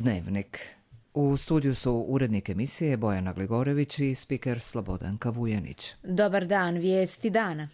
Dnevnik. U studiju su urednik emisije Bojana Gligorević i spiker Slobodanka Vujanić. Dobar dan, vijesti dana.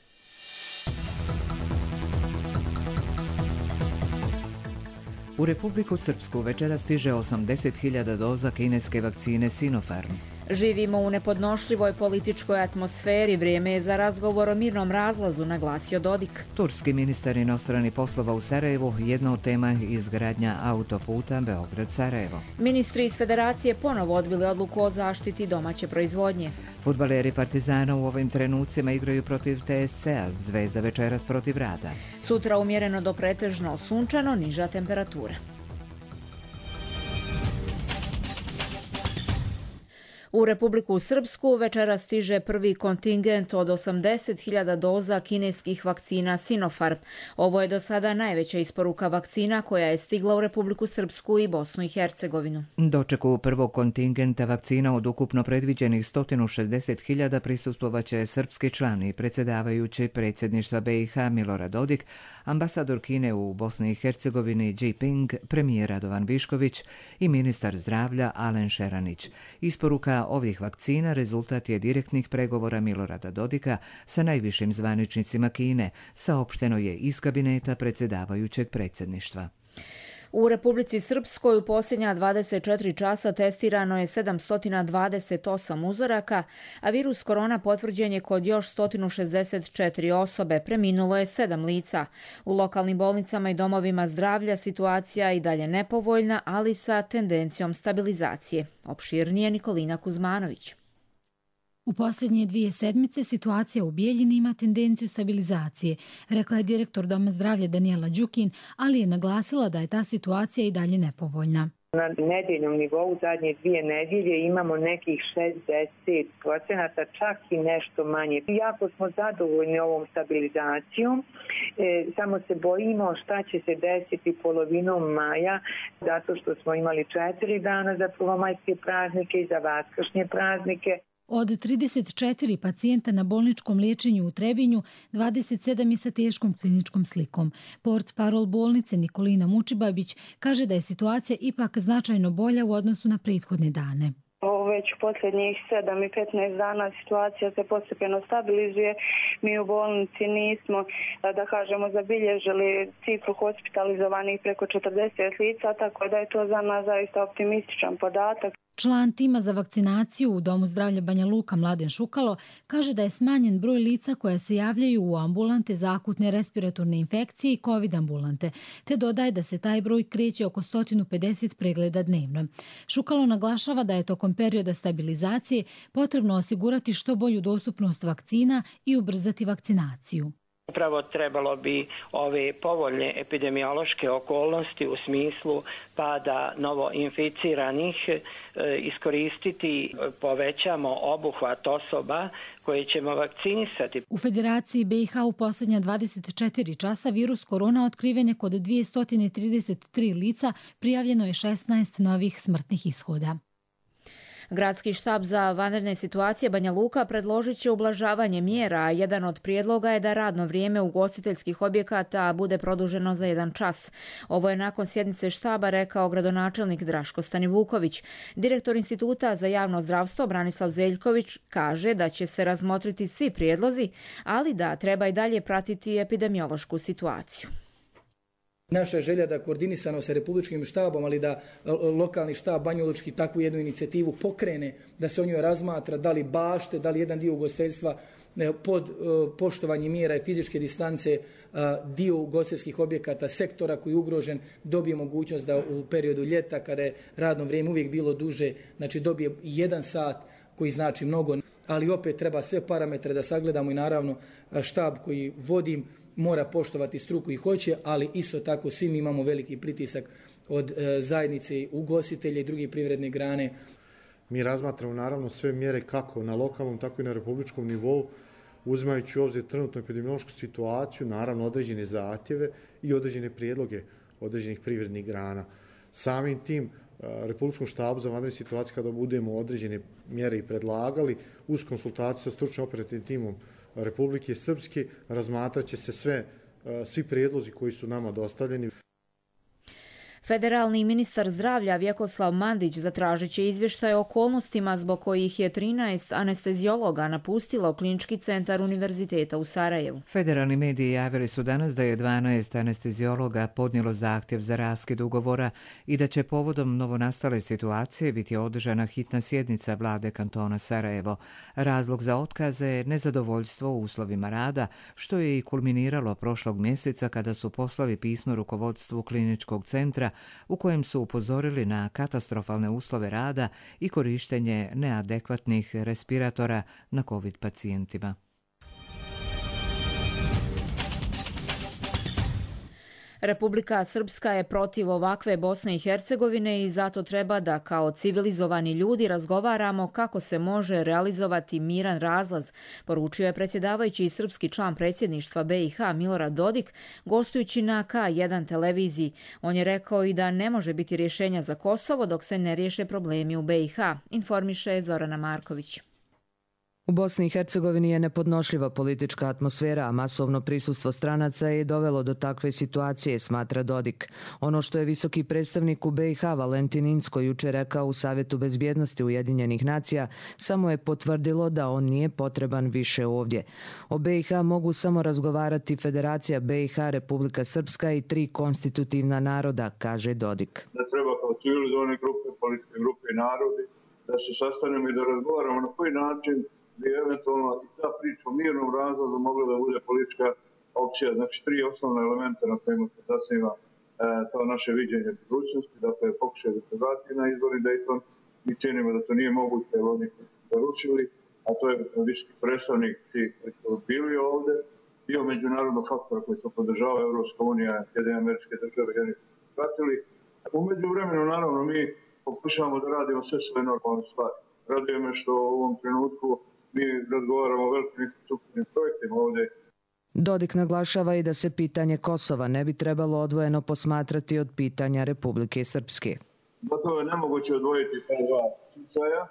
U Republiku Srpsku večera stiže 80.000 doza kineske vakcine Sinopharm. Živimo u nepodnošljivoj političkoj atmosferi, vrijeme je za razgovor o mirnom razlazu, naglasio Dodik. Turski ministar inostranih poslova u Sarajevu, jedna od tema je izgradnja autoputa Beograd-Sarajevo. Ministri iz Federacije ponovo odbili odluku o zaštiti domaće proizvodnje. Fudbaleri Partizana u ovim trenucima igraju protiv TSC-a, Zvezda večeras protiv Rada. Sutra umjereno do pretežno sunčano, niža temperatura. U Republiku Srpsku večera stiže prvi kontingent od 80.000 doza kineskih vakcina Sinopharm. Ovo je do sada najveća isporuka vakcina koja je stigla u Republiku Srpsku i Bosnu i Hercegovinu. Dočeku prvog kontingenta vakcina od ukupno predviđenih 160.000 prisustvovaće srpski član i predsjedavajući predsjedništva BiH Milorad Dodik, ambasador Kine u Bosni i Hercegovini Ji Ping, premijer Radovan Višković i ministar zdravlja Alen Šeranić. Isporuka ovih vakcina rezultat je direktnih pregovora Milorada Dodika sa najvišim zvaničnicima Kine, saopšteno je iz kabineta predsjedavajućeg predsjedništva. U Republici Srpskoj u posljednja 24 časa testirano je 728 uzoraka, a virus korona potvrđen je kod još 164 osobe, preminulo je 7 lica. U lokalnim bolnicama i domovima zdravlja situacija je i dalje nepovoljna, ali sa tendencijom stabilizacije. Opširnije Nikolina Kuzmanović. U posljednje 2 sedmice situacija u Bijeljini ima tendenciju stabilizacije, rekla je direktor Doma zdravlja Danijela Đukin, ali je naglasila da je ta situacija i dalje nepovoljna. Na nedeljnom nivou zadnje 2 nedjelje imamo nekih 60%, čak i nešto manje. Jako smo zadovoljni ovom stabilizacijom, samo se bojimo šta će se desiti polovinom maja, zato što smo imali 4 dana za prvomajske praznike i za vaskršnje praznike. Od 34 pacijenta na bolničkom liječenju u Trebinju, 27 je sa teškom kliničkom slikom. Portparol bolnice Nikolina Mučibabić kaže da je situacija ipak značajno bolja u odnosu na prethodne dane. Već u posljednjih 7 i 15 dana situacija se postepeno stabilizuje. Mi u bolnici nismo, da kažemo, zabilježili cifru hospitalizovanih preko 40 lica, tako da je to za nas zaista optimističan podatak. Član tima za vakcinaciju u Domu zdravlja Banja Luka Mladen Šukalo kaže da je smanjen broj lica koja se javljaju u ambulante za akutne respiratorne infekcije i COVID ambulante, te dodaje da se taj broj kreće oko 150 pregleda dnevno. Šukalo naglašava da je tokom perioda stabilizacije potrebno osigurati što bolju dostupnost vakcina i ubrzati vakcinaciju. Upravo trebalo bi ove povoljne epidemiološke okolnosti u smislu pada novoinficiranih iskoristiti, povećamo obuhvat osoba koje ćemo vakcinisati. U Federaciji BiH u posljednja 24 časa virus korona otkriven je kod 233 lica, prijavljeno je 16 novih smrtnih ishoda. Gradski štab za vanredne situacije Banja Luka predložit će ublažavanje mjera, a jedan od prijedloga je da radno vrijeme ugostiteljskih objekata bude produženo za 1 čas. Ovo je nakon sjednice štaba rekao gradonačelnik Draško Stanivuković. Direktor Instituta za javno zdravstvo Branislav Zeljković kaže da će se razmotriti svi prijedlozi, ali da treba i dalje pratiti epidemiološku situaciju. Naša je želja da koordinisano sa republičkim štabom, ali da lokalni štab banjalučki takvu jednu inicijativu pokrene, da se o njoj razmatra, da li bašte, da li jedan dio ugostiteljstva pod poštovanje mjera i fizičke distance, dio ugostiteljskih objekata, sektora koji je ugrožen, dobije mogućnost da u periodu ljeta, kada je radno vrijeme uvijek bilo duže, znači dobije 1 sat koji znači mnogo, ali opet treba sve parametre da sagledamo i naravno štab koji vodim mora poštovati struku i hoće, ali isto tako svi mi imamo veliki pritisak od zajednice ugostitelja i drugih privredne grane. Mi razmatramo naravno sve mjere kako na lokalnom, tako i na republičkom nivou, uzimajući u obzir trenutnu epidemiološku situaciju, naravno određene zahtjeve i određene prijedloge određenih privrednih grana. Samim tim Republičkom štabu za vanredne situacije, kada budemo određene mjere i predlagali, uz konsultaciju sa stručnim operativnim timom Republike Srpske, razmatrat će se svi prijedlozi koji su nama dostavljeni. Federalni ministar zdravlja Vjekoslav Mandić zatražit će izvještaje o okolnostima zbog kojih je 13 anesteziologa napustilo Klinički centar Univerziteta u Sarajevu. Federalni mediji javili su danas da je 12 anesteziologa podnijelo zahtjev za raskid ugovora i da će povodom novonastale situacije biti održana hitna sjednica vlade kantona Sarajevo. Razlog za otkaze je nezadovoljstvo u uslovima rada, što je i kulminiralo prošlog mjeseca kada su poslali pismo rukovodstvu Kliničkog centra u kojem su upozorili na katastrofalne uslove rada i korištenje neadekvatnih respiratora na COVID pacijentima. Republika Srpska je protiv ovakve Bosne i Hercegovine i zato treba da kao civilizovani ljudi razgovaramo kako se može realizovati miran razlaz, poručio je predsjedavajući i srpski član predsjedništva BiH Milorad Dodik gostujući na K1 televiziji. On je rekao i da ne može biti rješenja za Kosovo dok se ne riješe problemi u BiH, informiše Zorana Marković. U Bosni i Hercegovini je nepodnošljiva politička atmosfera, a masovno prisustvo stranaca je dovelo do takve situacije, smatra Dodik. Ono što je visoki predstavnik u BiH Valentin Inzko jučer rekao u Savjetu bezbjednosti Ujedinjenih nacija samo je potvrdilo da on nije potreban više ovdje. O BiH mogu samo razgovarati Federacija BiH, Republika Srpska i 3 konstitutivna naroda, kaže Dodik. Da treba kao civilizovane grupe, političke grupe i narodi da se sastanemo i da razgovaramo na koji način bi eventualno i ta priča o mirnom razlazu mogla da bude politička opcija. Znači 3 osnovna elementa na kojima se zasniva to naše viđenje budućnosti, dakle pokušaj da se vrati na izborni Dayton. Mi činimo da to nije moguće, jer oni koji su poručili, a to je visoki predstavnik koji su bili ovde, dio međunarodnog faktora koji su podržava Evropska unija, Sjedinjene Američke Države, oni su pratili. Umeđu vremenu, naravno, mi pokušavamo da radimo sve svoje normalne stvari. Raduje me što u ovom trenutku mi razgovaramo o velikim infrastrukturnim projektima ovdje. Dodik naglašava i da se pitanje Kosova ne bi trebalo odvojeno posmatrati od pitanja Republike Srpske. Gotovo je nemoguće odvojiti ta dva slučaja.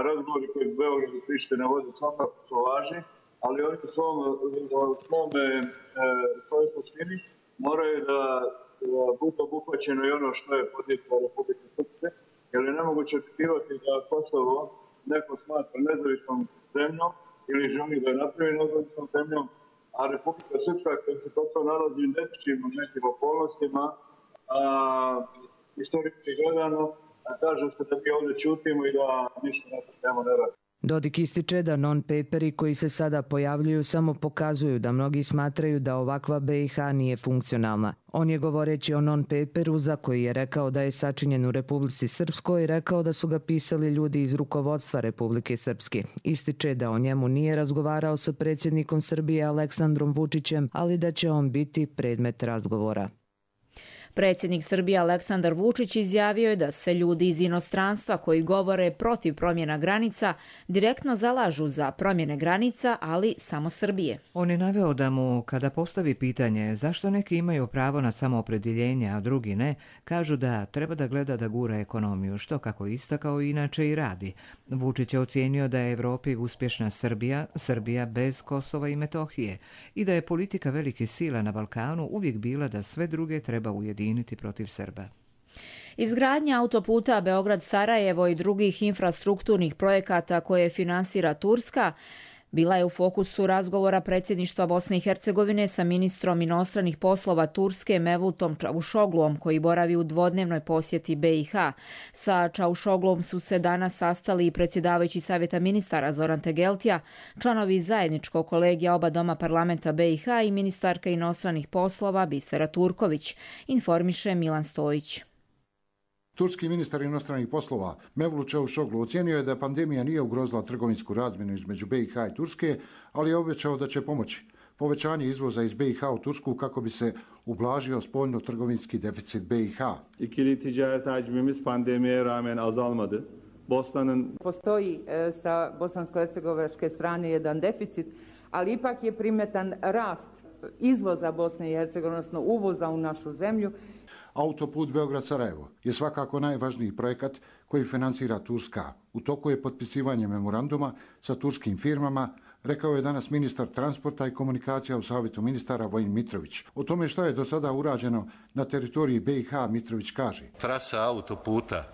Razgovori koji Beograd i Priština vode svakako su važni, ali oni u svojoj suštini moraju da bude obuhvaćeno i ono što je podjetno Republike Srpske, jer je nemoguće očekivati da Kosovo neko smatra nezavisnom zemljom ili želi da je napravi nezavisnom zemljom, a Republika Srpska koja se to nalazi u nekim okolnostima, istorički gledano, kaže se da mi ovdje ćutimo i da ništa na temu ne radi. Dodik ističe da non-paperi koji se sada pojavljuju samo pokazuju da mnogi smatraju da ovakva BiH nije funkcionalna. On je govoreći o non-paperu za koji je rekao da je sačinjen u Republici Srpskoj rekao da su ga pisali ljudi iz rukovodstva Republike Srpske. Ističe da o njemu nije razgovarao sa predsjednikom Srbije Aleksandrom Vučićem, ali da će on biti predmet razgovora. Predsjednik Srbije Aleksandar Vučić izjavio je da se ljudi iz inostranstva koji govore protiv promjena granica direktno zalažu za promjene granica, ali samo Srbije. On je naveo da mu, kada postavi pitanje zašto neki imaju pravo na samoopredjeljenje, a drugi ne, kažu da treba da gleda da gura ekonomiju, što kako istakao inače i radi. Vučić je ocijenio da je Evropi uspješna Srbija bez Kosova i Metohije i da je politika velike sile na Balkanu uvijek bila da sve druge treba ujediniti protiv Srba. Izgradnja autoputa Beograd-Sarajevo i drugih infrastrukturnih projekata koje finansira Turska bila je u fokusu razgovora predsjedništva Bosne i Hercegovine sa ministrom inostranih poslova Turske Mevlutom Čavuşogluom koji boravi u dvodnevnoj posjeti BiH. Sa Čavuşogluom su se danas sastali i predsjedavajući Savjeta ministara Zoran Tegeltija, članovi zajedničkog kolegija oba doma parlamenta BiH i ministarka inostranih poslova Bisera Turković, informiše Milan Stojić. Turski ministar inostranih poslova Mevlut Čavuşoglu ocijenio je da pandemija nije ugrozila trgovinsku razmjenu između BiH i Turske, ali je obećao da će pomoći povećanje izvoza iz BiH u Tursku kako bi se ublažio spoljno-trgovinski deficit BiH. İkili ticaret hacmimiz pandemiye rağmen azalmadı. Postoji sa bosansko-hercegovačke strane jedan deficit, ali ipak je primjetan rast izvoza Bosne i Hercegovine, odnosno uvoza u našu zemlju. Autoput Beograd-Sarajevo je svakako najvažniji projekat koji finansira Turska. U toku je potpisivanje memoranduma sa turskim firmama rekao je danas ministar transporta i komunikacija u Savjetu ministara Vojin Mitrović. O tome šta je do sada urađeno na teritoriji BiH Mitrović kaže. Trasa autoputa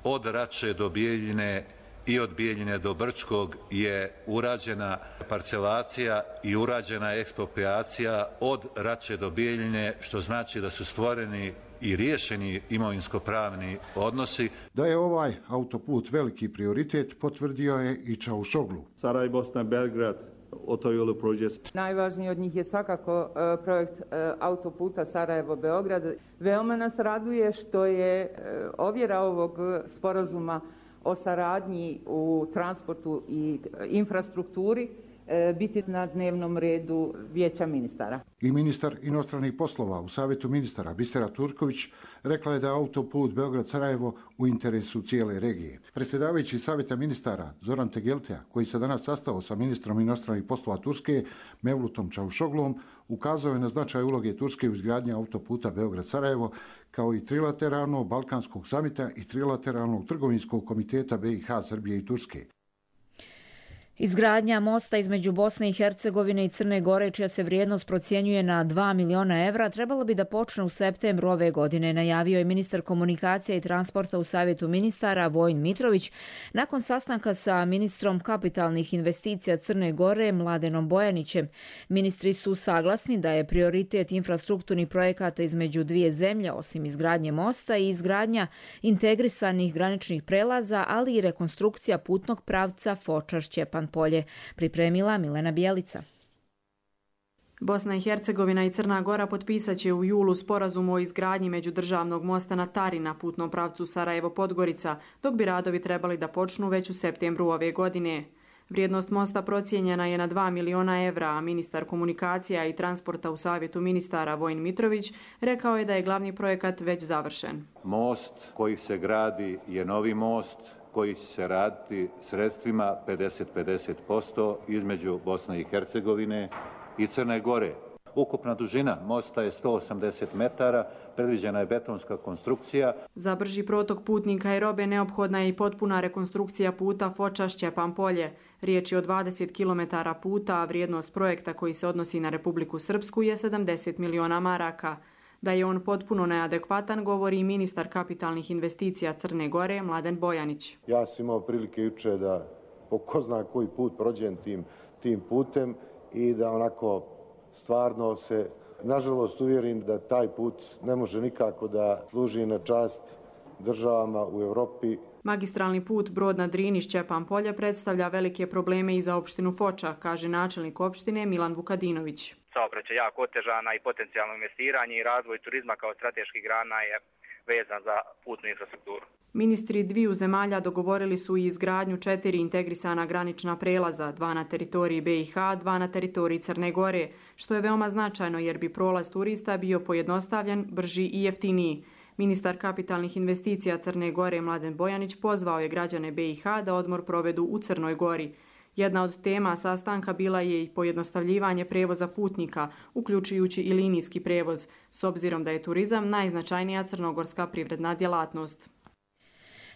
od Rače do Bijeljine i od Bijeljine do Brčkog je urađena parcelacija i urađena ekspropriacija od Rače do Bijeljine, što znači da su stvoreni i riješeni imovinsko-pravni odnosi. Da je ovaj autoput veliki prioritet potvrdio je i Čaušoglu. Sarajevo, Bosna, Belgrad, Otojolu projekt. Najvažniji od njih je svakako projekt autoputa Sarajevo-Beograd. Veoma nas raduje što je ovjera ovog sporazuma o saradnji u transportu i infrastrukturi biti na dnevnom redu Vijeća ministara. I ministar inostranih poslova u Savjetu ministara Bisera Turković rekla je da je autoput Beograd-Sarajevo u interesu cijele regije. Predsjedavajući Savjeta ministara Zoran Tegeltea, koji se danas sastao sa ministrom inostranih poslova Turske Mevlutom Čaušoglom, ukazao je na značaj uloge Turske u izgradnji autoputa Beograd-Sarajevo, kao i trilateralnog Balkanskog samita i trilateralnog trgovinskog komiteta BiH, Srbije i Turske. Izgradnja mosta između Bosne i Hercegovine i Crne Gore, čija se vrijednost procjenjuje na 2 miliona evra, trebalo bi da počne u septembru ove godine, najavio je ministar komunikacija i transporta u Savjetu ministara Vojin Mitrović nakon sastanka sa ministrom kapitalnih investicija Crne Gore Mladenom Bojanićem. Ministri su saglasni da je prioritet infrastrukturnih projekata između dvije zemlje, osim izgradnje mosta, i izgradnja integrisanih graničnih prelaza, ali i rekonstrukcija putnog pravca Foča-Šćepan Polje, pripremila Milena Bijelica. Bosna i Hercegovina i Crna Gora potpisat će u julu sporazum o izgradnji međudržavnog mosta na Tari na putnom pravcu Sarajevo-Podgorica, dok bi radovi trebali da počnu već u septembru ove godine. Vrijednost mosta procijenjena je na 2 miliona evra, a ministar komunikacija i transporta u Savjetu ministara Vojin Mitrović rekao je da je glavni projekat već završen. Most koji se gradi je novi most koji će se raditi sredstvima 50-50% između Bosne i Hercegovine i Crne Gore. Ukupna dužina mosta je 180 metara, predviđena je betonska konstrukcija. Za brži protok putnika i robe neophodna je i potpuna rekonstrukcija puta Foča-Šćepan Polje. Riječ je o 20 km puta, a vrijednost projekta koji se odnosi na Republiku Srpsku je 70 miliona maraka. Da je on potpuno neadekvatan, govori i ministar kapitalnih investicija Crne Gore, Mladen Bojanić. Ja sam imao prilike juče da po ko zna koji put prođem tim putem i da onako stvarno se, nažalost, uvjerim da taj put ne može nikako da služi na čast državama u Europi. Magistralni put Brod na Drini Šćepan Polje predstavlja velike probleme i za opštinu Foča, kaže načelnik opštine Milan Vukadinović. Saobraćaj jako otežana i potencijalno investiranje i razvoj turizma kao strateških grana je vezan za putnu infrastrukturu. Ministri dviju zemalja dogovorili su i izgradnju 4 integrisana granična prelaza, 2 na teritoriji BiH, 2 na teritoriji Crne Gore, što je veoma značajno jer bi prolaz turista bio pojednostavljen, brži i jeftiniji. Ministar kapitalnih investicija Crne Gore Mladen Bojanić pozvao je građane BiH da odmor provedu u Crnoj Gori. Jedna od tema sastanka bila je i pojednostavljivanje prevoza putnika, uključujući i linijski prevoz, s obzirom da je turizam najznačajnija crnogorska privredna djelatnost.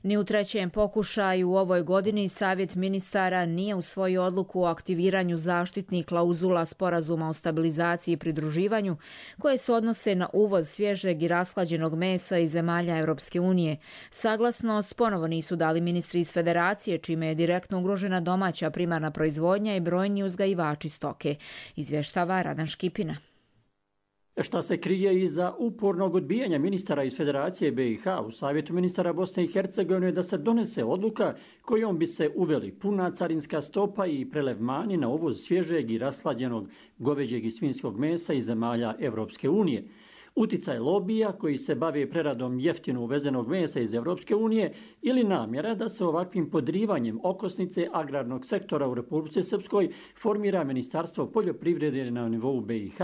Ni u trećem pokušaju u ovoj godini Savjet ministara nije usvojio odluku o aktiviranju zaštitnih klauzula sporazuma o stabilizaciji i pridruživanju koje se odnose na uvoz svježeg i rashlađenog mesa iz zemalja Europske unije. Saglasnost ponovo nisu dali ministri iz Federacije, čime je direktno ugrožena domaća primarna proizvodnja i brojni uzgajivači stoke, izvještava Radan Škipina. Šta se krije iza upornog odbijanja ministara iz Federacije BiH u Savjetu ministara Bosne i Hercegovine da se donese odluka kojom bi se uveli puna carinska stopa i prelevmani na uvoz svježeg i rashlađenog goveđeg i svinjskog mesa iz zemalja Europske unije. Uticaj lobija koji se bave preradom jeftino uvezenog mesa iz Europske unije ili namjera da se ovakvim podrivanjem okosnice agrarnog sektora u Republici Srpskoj formira Ministarstvo poljoprivrede na nivou BiH.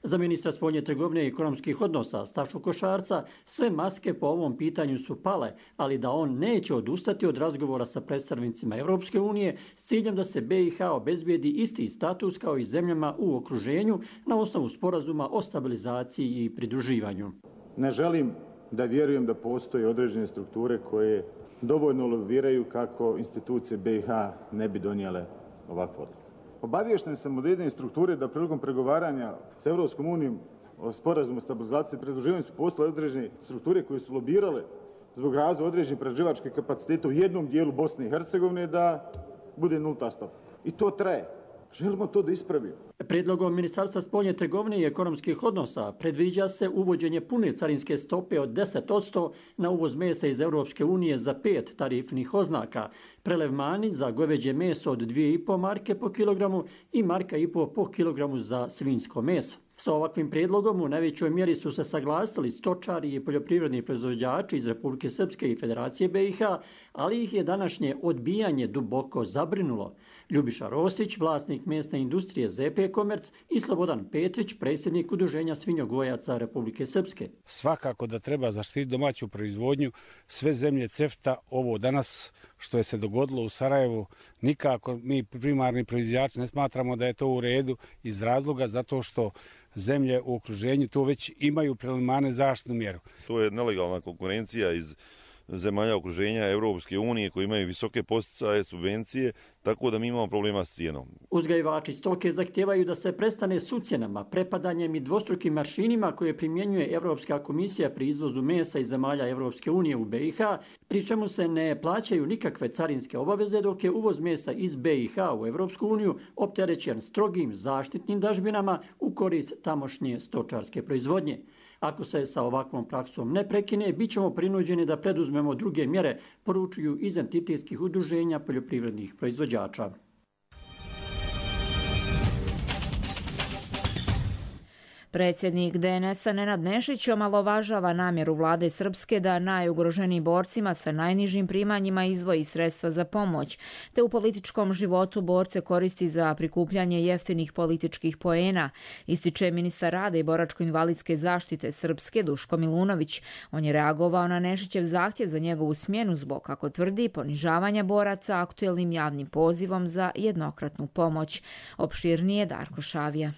Za ministra spoljne trgovine i ekonomskih odnosa Stašu Košarca sve maske po ovom pitanju su pale, ali da on neće odustati od razgovora sa predstavnicima Europske unije s ciljem da se BiH obezbijedi isti status kao i zemljama u okruženju na osnovu sporazuma o stabilizaciji i pridruživanju. Ne želim da vjerujem da postoje određene strukture koje dovoljno lobiraju kako institucije BiH ne bi donijele ovakvu odluku. Obaviješten sam od jedne strukture da prilikom pregovaranja s Europskom unijom o sporazumu o stabilizaciji i pridruživanju su postale određene strukture koje su lobirale zbog razvoja određenih prerađivačkih kapaciteta u jednom dijelu Bosne i Hercegovine da bude nulta stopa. I to traje. Želimo to da ispravimo. Prijedlogom Ministarstva spoljne trgovine i ekonomskih odnosa predviđa se uvođenje pune carinske stope od 10% na uvoz mesa iz Europske unije za 5 tarifnih oznaka, prelev mani za goveđe meso od 2,5 marke po kilogramu i 1,5 marka po kilogramu za svinjsko meso. Sa ovakvim prijedlogom u najvećoj mjeri su se saglasili stočari i poljoprivredni proizvođači iz Republike Srpske i Federacije BiH, ali ih je današnje odbijanje duboko zabrinulo. Ljubiša Rosić, vlasnik mesne industrije ZP Komerc, i Slobodan Petrić, predsjednik Udruženja svinjogojaca Republike Srpske. Svakako da treba zaštiti domaću proizvodnju. Sve zemlje CEFTA, ovo danas što je se dogodilo u Sarajevu, nikako mi primarni proizvođači ne smatramo da je to u redu iz razloga zato što zemlje u okruženju to već imaju preliminarnu zaštitnu mjeru. To je nelegalna konkurencija iz zemalja okruženja Europske unije koji imaju visoke poticaje, subvencije, tako da mi imamo problema s cijenom. Uzgajivači stoke zahtijevaju da se prestane s ucjenama, prepadanjem i dvostrukim maršinima koje primjenjuje Europska komisija pri izvozu mesa iz zemalja Europske unije u BiH, pri čemu se ne plaćaju nikakve carinske obaveze, dok je uvoz mesa iz BiH u Europsku uniju opterećen strogim zaštitnim dažbinama u korist tamošnje stočarske proizvodnje. Ako se sa ovakvom praksom ne prekine, bit ćemo prinuđeni da preduzmemo druge mjere, poručuju iz entitetskih udruženja poljoprivrednih proizvođača. Predsjednik DNS-a Nenad Nešić omalovažava namjeru vlade Srpske da najugroženijim borcima sa najnižim primanjima izdvoji sredstva za pomoć, te u političkom životu borce koristi za prikupljanje jeftinih političkih poena, ističe ministar rada i boračko-invalidske zaštite Srpske Duško Milunović. On je reagovao na Nešićev zahtjev za njegovu smjenu zbog, kako tvrdi, ponižavanja boraca aktuelnim javnim pozivom za jednokratnu pomoć. Opširnije Darko Šavija.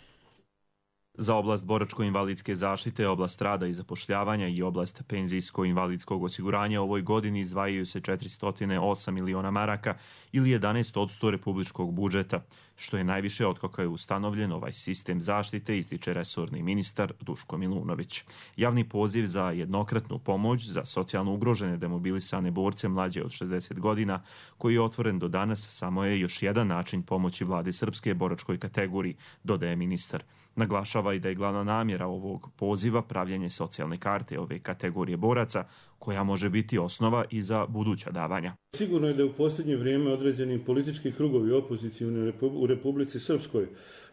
Za oblast boračko-invalidske zaštite, oblast rada i zapošljavanja i oblast penzijsko-invalidskog osiguranja ovoj godini izdvajaju se 408 miliona maraka ili 11% republičkog budžeta, što je najviše otkako je ustanovljen ovaj sistem zaštite, ističe resorni ministar Duško Milunović. Javni poziv za jednokratnu pomoć za socijalno ugrožene demobilisane borce mlađe od 60 godina, koji je otvoren do danas, samo je još jedan način pomoći vlade Srpske boračkoj kategoriji, dodaje ministar. Naglašava i da je glavna namjera ovog poziva pravljenje socijalne karte ove kategorije boraca, koja može biti osnova i za buduća davanja. Sigurno je da u posljednje vrijeme određeni politički krugovi opozicijni u Republici Srpskoj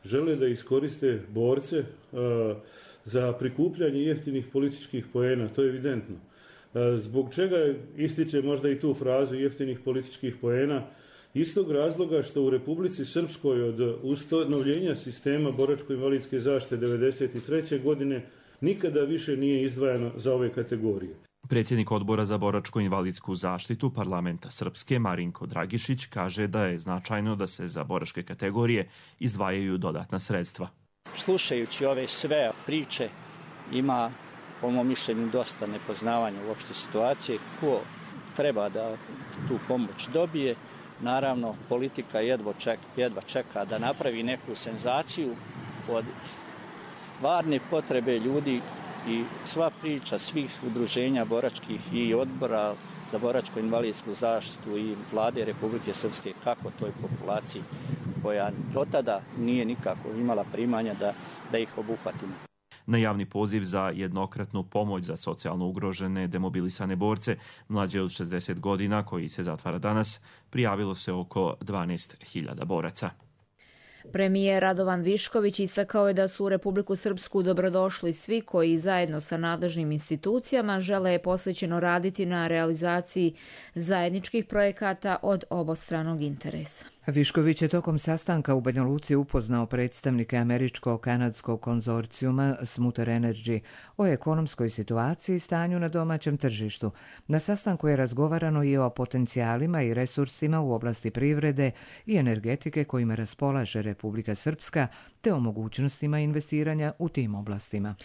žele da iskoriste borce za prikupljanje jeftinih političkih poena, to je evidentno. Zbog čega ističe možda i tu frazu jeftinih političkih poena? Istog razloga što u Republici Srpskoj od ustanovljenja sistema boračko-invalidske zaštite 1993. godine nikada više nije izdvajano za ove kategorije. Predsjednik odbora za boračko-invalidsku zaštitu parlamenta Srpske Marinko Dragišić kaže da je značajno da se za boračke kategorije izdvajaju dodatna sredstva. Slušajući ove sve priče ima, po mom mišljenju, dosta nepoznavanja uopšte situacije. Ko treba da tu pomoć dobije? Naravno, politika jedva čeka da napravi neku senzaciju od stvarne potrebe ljudi i sva priča svih udruženja boračkih i odbora za boračko-invalidsku zaštitu i vlade Republike Srpske kako toj populaciji koja do tada nije nikako imala primanja da ih obuhvatimo. Na javni poziv za jednokratnu pomoć za socijalno ugrožene demobilisane borce mlađe od 60 godina, koji se zatvara danas, prijavilo se oko 12.000 boraca. Premijer Radovan Višković istakao je da su u Republiku Srpsku dobrodošli svi koji zajedno sa nadležnim institucijama žele posvećeno raditi na realizaciji zajedničkih projekata od obostranog interesa. Višković je tokom sastanka u Banja Luci upoznao predstavnike američko-kanadskog konzorcijuma Smuter Energy o ekonomskoj situaciji i stanju na domaćem tržištu. Na sastanku je razgovarano i o potencijalima i resursima u oblasti privrede i energetike kojima raspolaže Republika Srpska, te o mogućnostima investiranja u tim oblastima.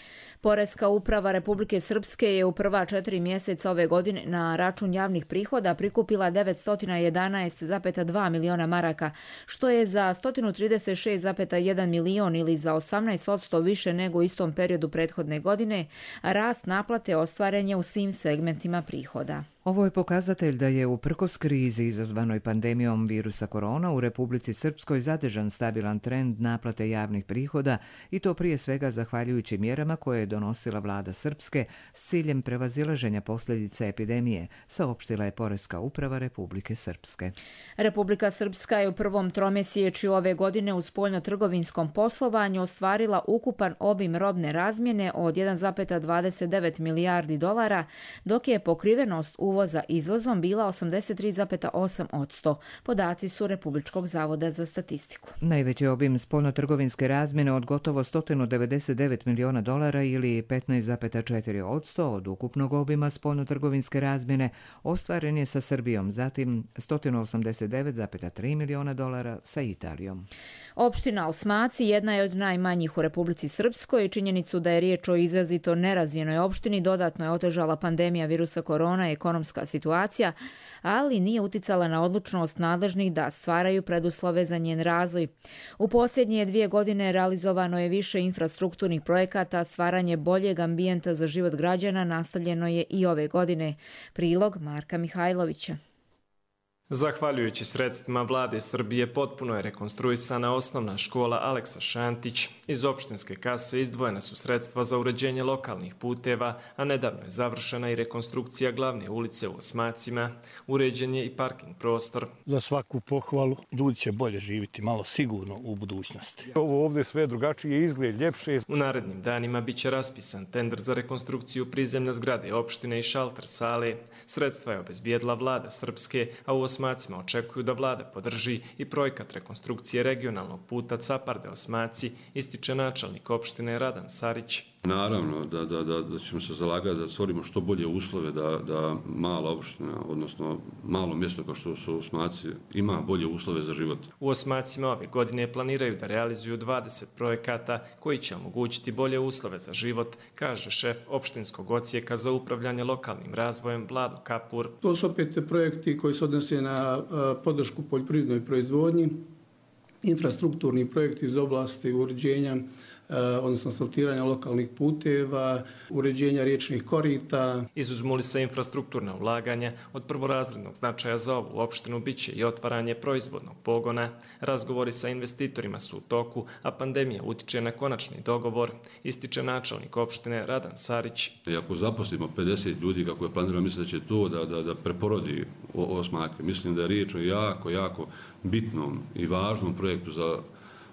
Poreska uprava Republike Srpske je u prva 4 mjeseca ove godine na račun javnih prihoda prikupila 911,2 miliona maraka maraka, što je za 136,1 milion ili za 18% više nego u istom periodu prethodne godine, a rast naplate ostvaren je u svim segmentima prihoda. Ovo je pokazatelj da je uprkos krizi izazvanoj pandemijom virusa korona u Republici Srpskoj zadržan stabilan trend naplate javnih prihoda i to prije svega zahvaljujući mjerama koje je donosila vlada Srpske s ciljem prevazilaženja posljedica epidemije, saopštila je Poreska uprava Republike Srpske. Republika Srpska je u prvom tromjesečju ove godine u spoljnotrgovinskom poslovanju ostvarila ukupan obim robne razmjene od 1,29 milijardi dolara, dok je pokrivenost uvoza izvozom bila 83,8%. Podaci su Republičkog zavoda za statistiku. Najveći obim spoljnotrgovinske razmjene od gotovo 199 miliona dolara ili 15,4% od ukupnog obima spoljnotrgovinske razmjene ostvaren je sa Srbijom, zatim 189,3 miliona dolara sa Italijom. Opština Osmaci jedna je od najmanjih u Republici Srpskoj i činjenicu da je riječ o izrazito nerazvijenoj opštini dodatno je otežala pandemija virusa korona i ekonomska situacija, ali nije uticala na odlučnost nadležnih da stvaraju preduslove za njen razvoj. U posljednje 2 godine realizovano je više infrastrukturnih projekata, stvaranje boljeg ambijenta za život građana nastavljeno je i ove godine. Prilog Marka Mihajlovića. Zahvaljujući sredstvima vlade Srbije potpuno je rekonstruisana osnovna škola Aleksa Šantić. Iz opštinske kase izdvojena su sredstva za uređenje lokalnih puteva, a nedavno je završena i rekonstrukcija glavne ulice u Osmacima. Uređen je i parking prostor. Za svaku pohvalu, ljudi će bolje živjeti malo sigurno u budućnosti. Ovo ovdje sve drugačije izgled, ljepše. U narednim danima biće raspisan tender za rekonstrukciju prizemne zgrade opštine i šalter sale. Sredstva je obezbijedila vlada Srpske, a u Osmacima očekuju da vlada podrži i projekat rekonstrukcije regionalnog puta Caparde Osmaci, ističe načelnik opštine Radan Sarić. Naravno da ćemo se zalagati da stvorimo što bolje uslove da mala opština, odnosno malo mjesto kao što su Osmaci, ima bolje uslove za život. U Osmacima ove godine planiraju da realizuju 20 projekata koji će omogućiti bolje uslove za život, kaže šef opštinskog odsjeka za upravljanje lokalnim razvojem Vlado Kapur. To su opet projekti koji se odnose na podršku poljoprivrednoj proizvodnji, infrastrukturni projekti iz oblasti uređenja, odnosno asfaltiranja lokalnih puteva, uređenja riječnih korita. Izuzmu li se infrastrukturna ulaganja, od prvorazrednog značaja za ovu opštinu biće i otvaranje proizvodnog pogona. Razgovori sa investitorima su u toku, a pandemija utiče na konačni dogovor, ističe načelnik opštine Radan Sarić. I ako zaposlimo 50 ljudi, kako je planirano, mislim da će to da preporodi Osmake. Mislim da je riječ o jako bitnom i važnom projektu za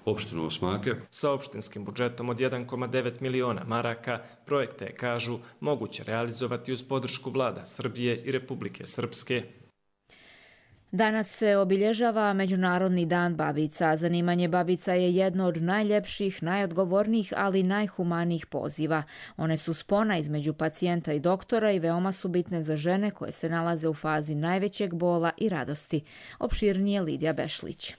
opštinu Osmake. Sa opštinskim budžetom od 1,9 miliona maraka projekte, kažu, moguće realizovati uz podršku vlada Srbije i Republike Srpske. Danas se obilježava Međunarodni dan babica. Zanimanje babica je jedno od najljepših, najodgovornijih, ali najhumanijih poziva. One su spona između pacijenta i doktora i veoma su bitne za žene koje se nalaze u fazi najvećeg bola i radosti. Opširnije Lidija Bešlić.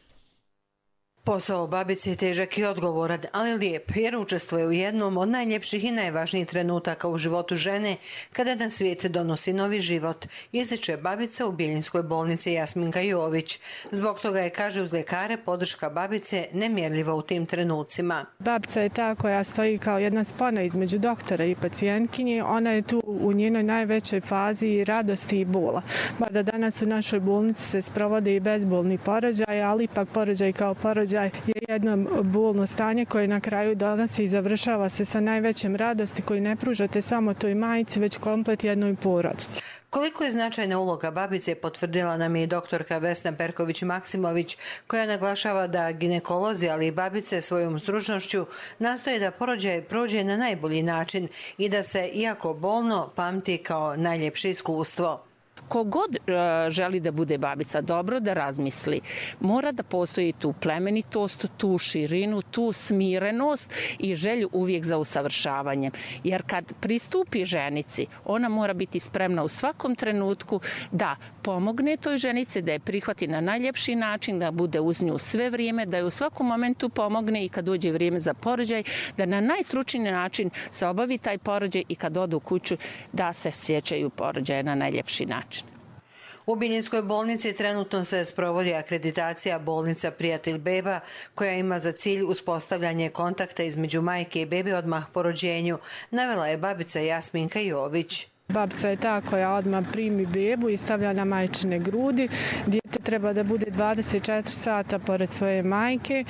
Posao babice je težak i odgovoran, ali lijep, jer učestvuje u jednom od najljepših i najvažnijih trenutaka u životu žene kada na svijet donosi novi život, ističe babica u Bjeljinskoj bolnici Jasminka Jović. Zbog toga je, kaže, uz ljekare podrška babice nemjerljiva u tim trenucima. Babica je ta koja stoji kao jedna spona između doktora i pacijentkinje. Ona je tu u njenoj najvećoj fazi radosti i bola. Mada danas u našoj bolnici se sprovode i bezbolni porođaj, ali ipak porođaj kao porođaj je jedno bolno stanje koje na kraju donosi i završava se sa najvećem radosti koju ne pružate samo toj majici, već komplet jednoj porodici. Koliko je značajna uloga babice potvrdila nam je i doktorka Vesna Perković-Maksimović, koja naglašava da ginekolozi, ali i babice svojom stručnošću nastoje da porođaj prođe na najbolji način i da se, iako bolno, pamti kao najljepše iskustvo. Kogod želi da bude babica, dobro da razmisli. Mora da postoji tu plemenitost, tu širinu, tu smirenost i želju uvijek za usavršavanjem. Jer kad pristupi ženici, ona mora biti spremna u svakom trenutku da pomogne toj ženici, da je prihvati na najljepši način, da bude uz nju sve vrijeme, da je u svakom momentu pomogne i kad dođe vrijeme za porođaj, da na najstručniji način se obavi taj porođaj i kad odu u kuću da se sjećaju porođaja na najljepši način. U Biljinskoj bolnici trenutno se sprovodi akreditacija bolnica Prijatelj beba, koja ima za cilj uspostavljanje kontakta između majke i bebe odmah po rođenju, navela je babica Jasminka Jović. Babica je ta koja odmah primi bebu i stavlja na majčine grudi. Dijete treba da bude 24 sata pored svoje majke,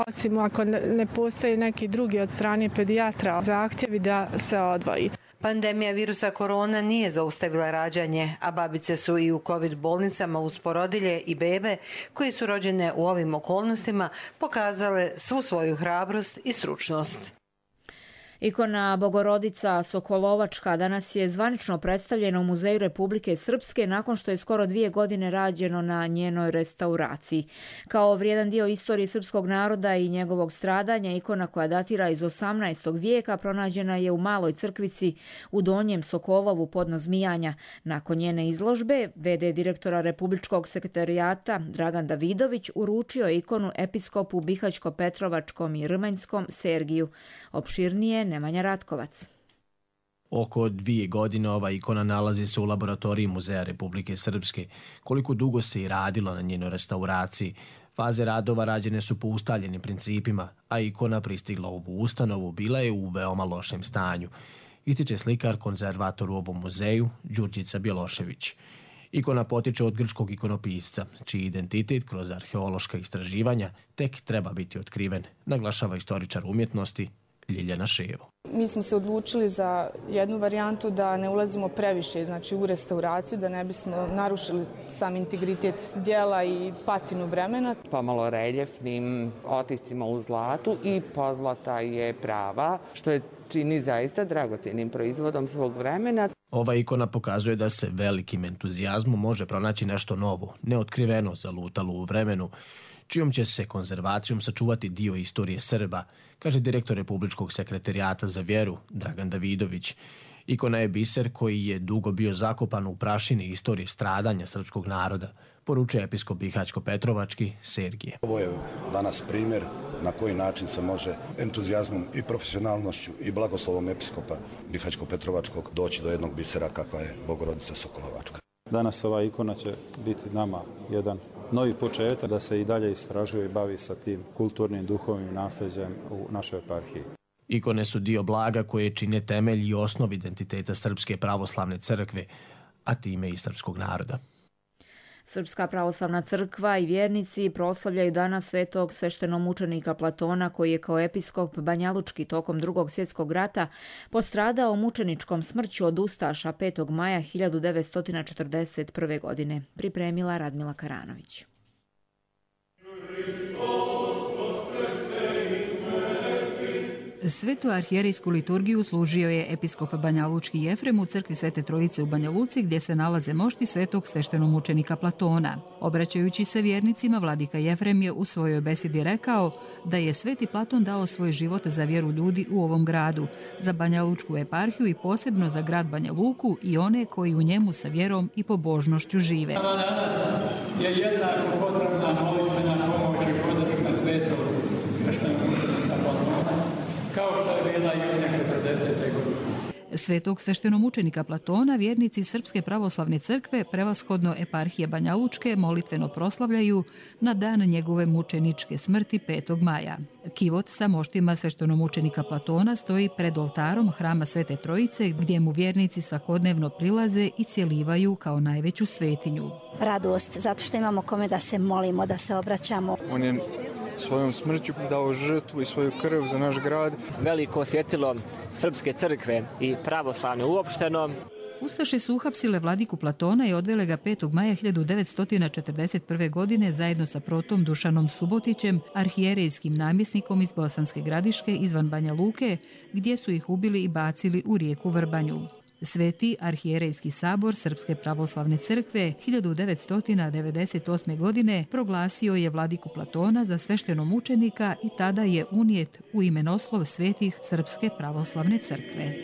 osim ako ne postoji neki drugi od strane pedijatra zahtjevi da se odvoji. Pandemija virusa korona nije zaustavila rađanje, a babice su i u COVID bolnicama uz porodilje i bebe koje su rođene u ovim okolnostima pokazale svu svoju hrabrost i stručnost. Ikona Bogorodica Sokolovačka danas je zvanično predstavljena u Muzeju Republike Srpske nakon što je skoro 2 godine rađeno na njenoj restauraciji. Kao vrijedan dio istorije srpskog naroda i njegovog stradanja, ikona koja datira iz 18. vijeka pronađena je u maloj crkvici u Donjem Sokolovu podno Zmijanja. Nakon njene izložbe, v.d. direktora Republičkog sekretarijata Dragan Davidović uručio je ikonu episkopu Bihaćko-Petrovačkom i Rmanjskom Sergiju. Opširnije Nemanja Ratkovac. Oko 2 godine ova ikona nalazi se u laboratoriji Muzeja Republike Srpske. Koliko dugo se i radilo na njenoj restauraciji, faze radova rađene su po ustaljenim principima, a ikona pristigla u ovu ustanovu bila je u veoma lošem stanju. Ističe slikar konzervator u ovom muzeju Đurđica Bjelošević. Ikona potiče od grčkog ikonopisca, čiji identitet kroz arheološka istraživanja tek treba biti otkriven, naglašava istoričar umjetnosti Ljiljana Ševo. Mi smo se odlučili za jednu varijantu da ne ulazimo previše u restauraciju, da ne bismo narušili sam integritet dijela i patinu vremena. Pomalo reljefnim otiscima u zlatu i pozlata je prava, što je čini zaista dragocjenim proizvodom svog vremena. Ova ikona pokazuje da se velikim entuzijazmom može pronaći nešto novo, neotkriveno, zalutalo u vremenu, čijom će se konzervacijom sačuvati dio istorije Srba, kaže direktor Republičkog sekretarijata za vjeru Dragan Davidović. Ikona je biser koji je dugo bio zakopan u prašini istorije stradanja srpskog naroda, poručuje episkop Bihaćko-Petrovački Sergije. Ovo je danas primjer na koji način se može entuzijazmom i profesionalnošću i blagoslovom episkopa Bihaćko-Petrovačkog doći do jednog bisera kakva je Bogorodica Sokolovačka. Danas ova ikona će biti nama jedan novi početak da se i dalje istražuje i bavi sa tim kulturnim duhovnim nasljeđem u našoj eparhiji. Ikone su dio blaga koje čine temelj i osnov identiteta Srpske pravoslavne crkve, a time i srpskog naroda. Srpska pravoslavna crkva i vjernici proslavljaju danas svetog sveštenomučenika Platona, koji je kao episkop Banjalučki tokom Drugog svjetskog rata postradao mučeničkom smrću od ustaša 5. maja 1941. godine. Pripremila Radmila Karanović. Svetu arhijerejsku liturgiju služio je episkop Banjalučki Jefrem u crkvi Svete Trojice u Banja Luci, gdje se nalaze mošti svetog sveštenomučenika Platona. Obraćajući se vjernicima, vladika Jefrem je u svojoj besedi rekao da je sveti Platon dao svoj život za vjeru ljudi u ovom gradu, za Banjalučku eparhiju i posebno za grad Banja Luku i one koji u njemu sa vjerom i pobožnošću žive. Danas je jednako potrebna molitvena pomoć i podrška svetog sveštenomučenika Platona, kao što je bila i u 40. godine. Svetog sveštenomučenika Platona vjernici Srpske pravoslavne crkve, prevashodno eparhije Banja Lučke, molitveno proslavljaju na dan njegove mučeničke smrti 5. maja. Kivot sa moštima sveštenomučenika Platona stoji pred oltarom hrama Svete Trojice, gdje mu vjernici svakodnevno prilaze i cjelivaju kao najveću svetinju. Radost, zato što imamo kome da se molimo, da se obraćamo. On je svojom smrću dao žrtvu i svoju krv za naš grad. Veliko osjetilo Srpske crkve i pravoslavne uopšteno. Ustaše su uhapsile vladiku Platona i odvele ga 5. maja 1941. godine zajedno sa protom Dušanom Subotićem, arhijerejskim namjesnikom iz Bosanske Gradiške izvan Banja Luke, gdje su ih ubili i bacili u rijeku Vrbanju. Sveti arhijerejski sabor Srpske pravoslavne crkve 1998. godine proglasio je vladiku Platona za sveštenomučenika i tada je unijet u imenoslov svetih Srpske pravoslavne crkve.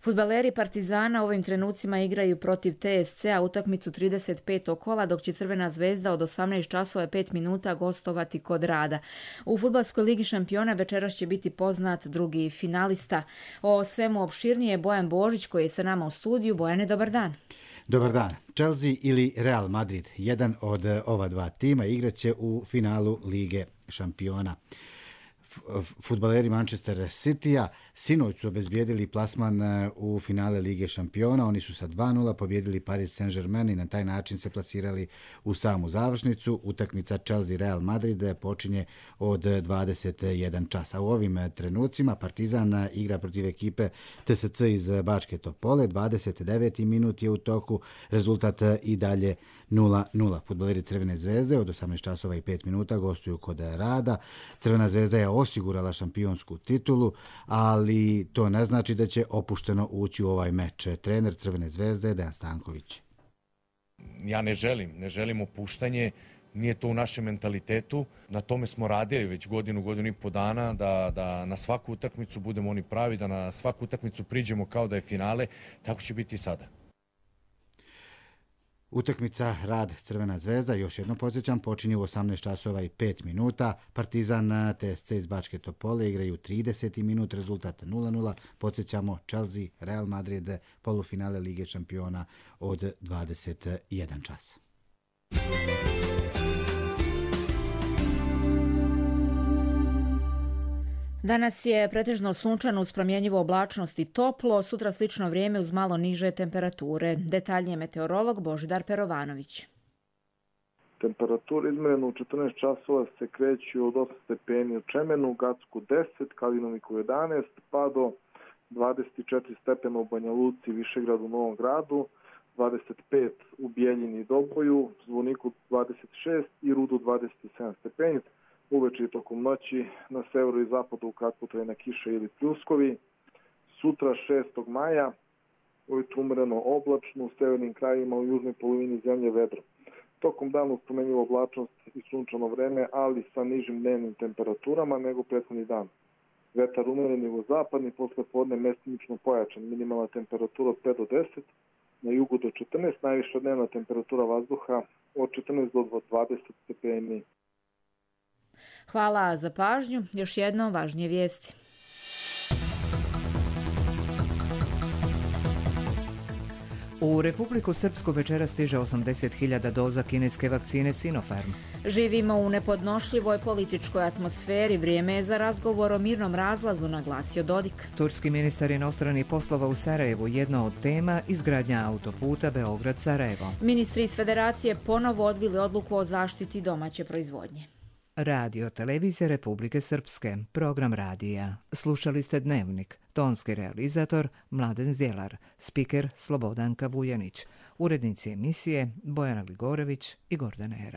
Fudbaleri Partizana ovim trenucima igraju protiv TSC-a utakmicu 35. kola, dok će Crvena zvezda od 18 časova i 5 minuta gostovati kod Rada. U Fudbalskoj ligi šampiona večeras će biti poznat drugi finalista. O svemu opširnije Bojan Božić koji je sa nama u studiju. Bojane, dobar dan. Dobar dan. Chelsea ili Real Madrid, jedan od ova dva tima, igraće u finalu Lige šampiona. Fudbaleri Manchester City-a sinoć su obezbijedili plasman u finale Lige šampiona. Oni su sa 2-0 pobjedili Paris Saint-Germain i na taj način se plasirali u samu završnicu. Utakmica Chelsea-Real Madrid počinje od 21 časa. U ovim trenucima Partizan igra protiv ekipe TSC iz Bačke Topole. 29. minut je u toku, rezultat i dalje 0-0. Fudbaleri Crvene zvezde od 18 časova i 5 minuta gostuju kod Rada. Crvena zvezda je osigurala šampionsku titulu, ali to ne znači da će opušteno ući u ovaj meč. Trener Crvene zvezde Dejan Stanković. Ja ne želim opuštanje, nije to u našem mentalitetu. Na tome smo radili već godinu i po dana, da na svaku utakmicu budemo oni pravi, da na svaku utakmicu priđemo kao da je finale, tako će biti i sada. Utakmica Rad Crvena zvezda, još jednom podsjećam, počinje u 18 časova i 5 minuta. Partizan TSC iz Bačke Topole igraju 30. minut, rezultat 0-0. Podsjećamo Chelsea, Real Madrid, polufinale Lige šampiona od 21 čas. Danas je pretežno sunčano uz promjenjivu oblačnost i toplo, sutra slično vrijeme uz malo niže temperature. Detaljnije meteorolog Božidar Perovanović. Temperature izmjerene u 14 časova se kreću od 8 stepeni u Čemenu, Gacku 10, Kalinoviku 11, pa do 24 stepena u Banja Luci, Višegradu, u Novom Gradu, 25 u Bijeljini i Doboju, Zvoniku 26 i Rudu 27 stepeni. Uveče i tokom noći na severu i zapadu kratkotrajna kiša ili pljuskovi. Sutra 6. maja ujutru umjereno oblačno, u severnim krajevima u južnoj polovini zemlje vedro. Tokom dana uz promjenjivu oblačnost i sunčano vreme, ali sa nižim dnevnim temperaturama nego prethodni dan. Vetar umjeren jugozapadni, posle podne mestimično pojačan, minimalna temperatura od 5 do 10, na jugu do 14, najviša dnevna temperatura vazduha od 14 do 20 stepeni. Hvala za pažnju. Još jedno važnije vijesti. U Republiku Srpsku večera stiže 80.000 doza kineske vakcine Sinopharm. Živimo u nepodnošljivoj političkoj atmosferi. Vrijeme je za razgovor o mirnom razlazu, naglasio Dodik. Turski ministar inostranih poslova u Sarajevu, jedna od tema izgradnja autoputa Beograd-Sarajevo. Ministri iz Federacije ponovo odbili odluku o zaštiti domaće proizvodnje. Radio Televizije Republike Srpske, program radija. Slušali ste Dnevnik, tonski realizator Mladen Zdjelar, spiker Slobodanka Vujanić, urednici emisije Bojana Gligorević i Gordana Era.